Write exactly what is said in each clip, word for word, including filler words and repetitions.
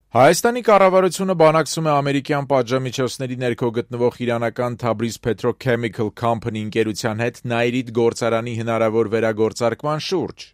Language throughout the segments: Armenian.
Հայաստանի կառավարությունը բանակցում է ամերիկյան պատժամիջոցների ներքո գտնվող իրանական Tabriz Petrochemical Company ընկերության հետ Նայիրիտ գործարանի հնարավոր վերագործարկման շուրջ։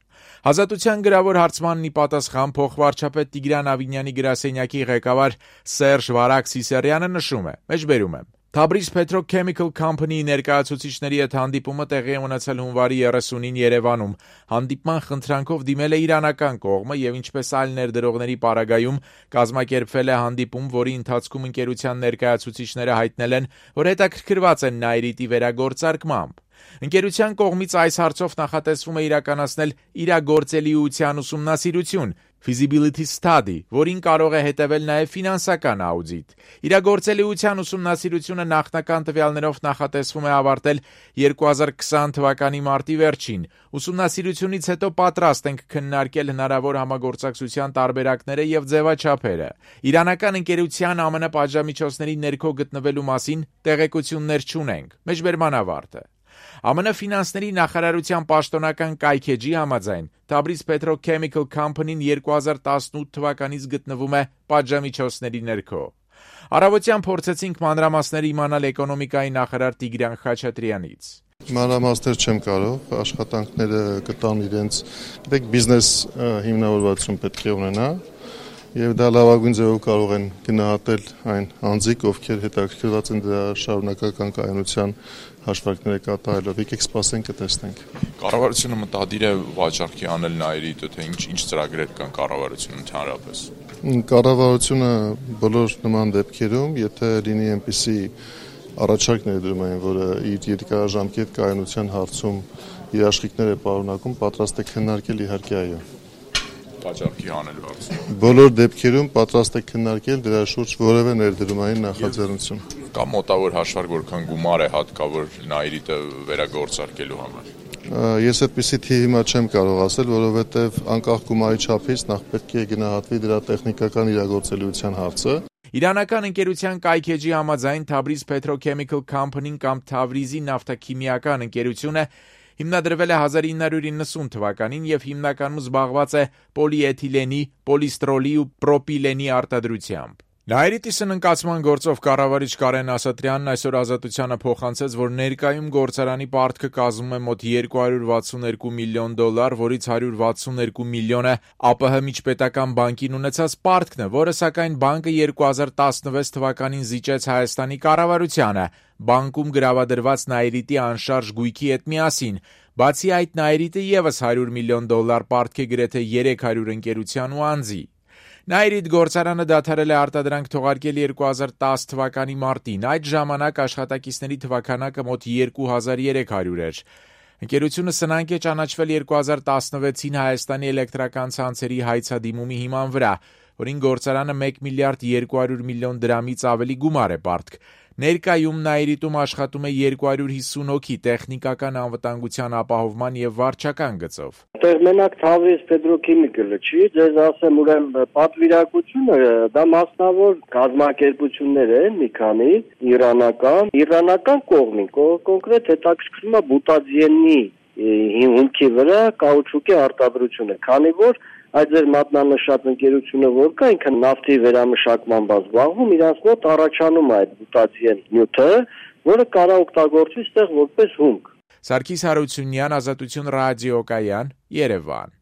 Ազատության գրավոր հարցմանն ի պատասխան փոխվարչապետ Տիգրան Ավինյանի գրասենյակի ղեկավար Սերժ Վարակ Սիսարյանը նշում է. Մեջբերում եմ. Tabriz Petrochemical Company-ի ներկայացուցիչների հետ հանդիպումը տեղի է ունեցել հունվարի երեսունին Երևանում։ Հանդիպման խնդրանքով դիմել է իրանական կողմը եւ ինչպես այլ ներդրողների պարագայում կազմակերպվել է հանդիպում, որի ընթացքում ընկերության ներկայացուցիչները հայտնել են, որ հետաքրքրված են Նայիրիտի վերագործարկմամբ։ Ընկերության կողմից այս հարցով նախատեսվում է իրականացնել իրագործելիության ուսումնասիրություն (feasibility study), որին կարող է հետևել նաև ֆինանսական աուդիտ։ Իրագործելիության ուսումնասիրությունը նախնական տվյալներով նախատեսվում է ավարտել երկու հազար քսան թվականի մարտի վերջին։ Ուսումնասիրությունից հետո պատրաստ ենք քննարկել հնարավոր համագործակցության տարբերակները եւ ձևաչափերը։ Իրանական ընկերության ԱՄՆ պատժամիջոցների ներքո գտնվելու մասին տեղեկություններ չունենք։ Մեջբերման ավարտը։ ԱՄՆ ֆինանսների նախարարության պաշտոնական կայքեջի համաձայն Tabriz Petrochemical Company-ն երկու հազար տասնութ թվականից գտնվում է պատժամիջոցների ներքո։ Առավոտյան փորձեցինք մանրամասներ իմանալ էկոնոմիկայի նախարար Տիգրան Խաչատրյանից։ Մանրամասներ չեմ կարող, աշխատանքները կտան իրենց, դեք բիզնես հիմնավորվածություն պետք է ունենա, եւ դա լավագույն ձևով կարող են գնահատել այն անձիկ, ովքեր հետաքրքրված են դրա շարունակական կայունության հաշվարկները կատարելով։ Եկեք սպասենք, կտեսնենք։ Կառավարությունը մտադիր է վաճառքի անել Նայիրիտը, թե ինչ ինչ ծրագրեր կան կառավարությունում ընդհանրապես։ Կառավարությունը բոլոր նման դեպքերում, եթե լինի այնպիսի առաջարկ ներդրում, որը իր երկարաժամկետ կայունության հարցում իր աշխատանքները պարունակում, պատրաստ է քննարկել, իհարկե այո։ Վաճառքի անել հարցում։ Բոլոր դեպքերում պատրաստ է քննարկել դրա շուրջ որևէ ներդրումային նախաձեռնություն։ Կա մոտավոր հաշվարկ, որքան գումար է հատկավոր Նայիրիտը վերագործարկելու համար։ Ես այդպիսի թիվ հիմա չեմ կարող ասել, որովհետև անկախ գումարի չափից նախ պետք է գնահատվի դրա տեխնիկական իրագործելիության հարցը։ Իրանական ընկերության կայքեջի համաձայն Tabriz Petrochemical Company-ն կամ Թավրիզի նավթաքիմիական ընկերությունը հիմնադրվել է հազար ինը հարյուր իննսուն թվականին եւ հիմնականում զբաղված է պոլիէթիլենի, պոլիստրոլի ու պրոպիլենի արտադրությամբ։ Նայիրիտի սննկացման գործով կառավարիչ Կարեն Ասատրյանն այսօր Ազատությանը փոխանցեց, որ ներկայում գործարանի պարտքը կազմում է մոտ երկու հարյուր վաթսունեքու միլիոն դոլար, որից հարյուր վաթսունեքու միլիոնը ԱՊՀ միջպետական բանկին ունեցած պարտքն է, որը սակայն բանկը երկու հազար տասնվեց թվականին զիջեց Հայաստանի կառավարությանը, բանկում գրավադրված Նայիրիտի անշարժ գույքի հետ միասին։ Բացի այդ, Նայիրիտը եւս հարյուր միլիոն դոլար պարտք է գրեթե երեք հարյուր ընկերության ու անձի։ Նայիրիտ գործարանը դադարել է արտադրանք թողարկել երկու հազար տասը թվականի մարտին, այդ ժամանակ աշխատակիցների թվաքանակը մոտ երկու հազար երեք հարյուր էր։ Ընկերությունը սնանկ է ճանաչվել երկու հազար տասնվեցին Հայաստանի էլեկտրական ցանցերի հայցադիմումի հիման վրա, որին գործարանը մեկ միլիարդ երկու հարյուր միլիոն դրամից ավելի գումար է պարտք։ Ներկայում Նայիրիտում աշխատում է երկու հարյուր հիսուն հոգի տեխնիկական անվտանգության ապահովման եւ վարչական գծով։ Այդտեղ մենակ Tabriz Petrochemical-ը չի, ձեզ ասեմ, ուրեմն պատվիրակությունը դա մասնավոր կազմակերպություններ են, մի քանի իրանական, իրանական կողմին, կոնկրետ հետաքրքրում է բուտադիենի հիմքի վրա կաուչուկի արտադրությունը, քանի որ այդ ձեր մատնանշած ընկերությունը որ կա, ինքը նավթի վերամշակման զբաղվում, իրանց մոտ առաջանում է այդ բուտադիեն նյութը, որը կարող օգտագործվի այդտեղ որպես հումք։ Սարգիս Հարությունյան, Ազատություն ռադիոկայան, Երևան։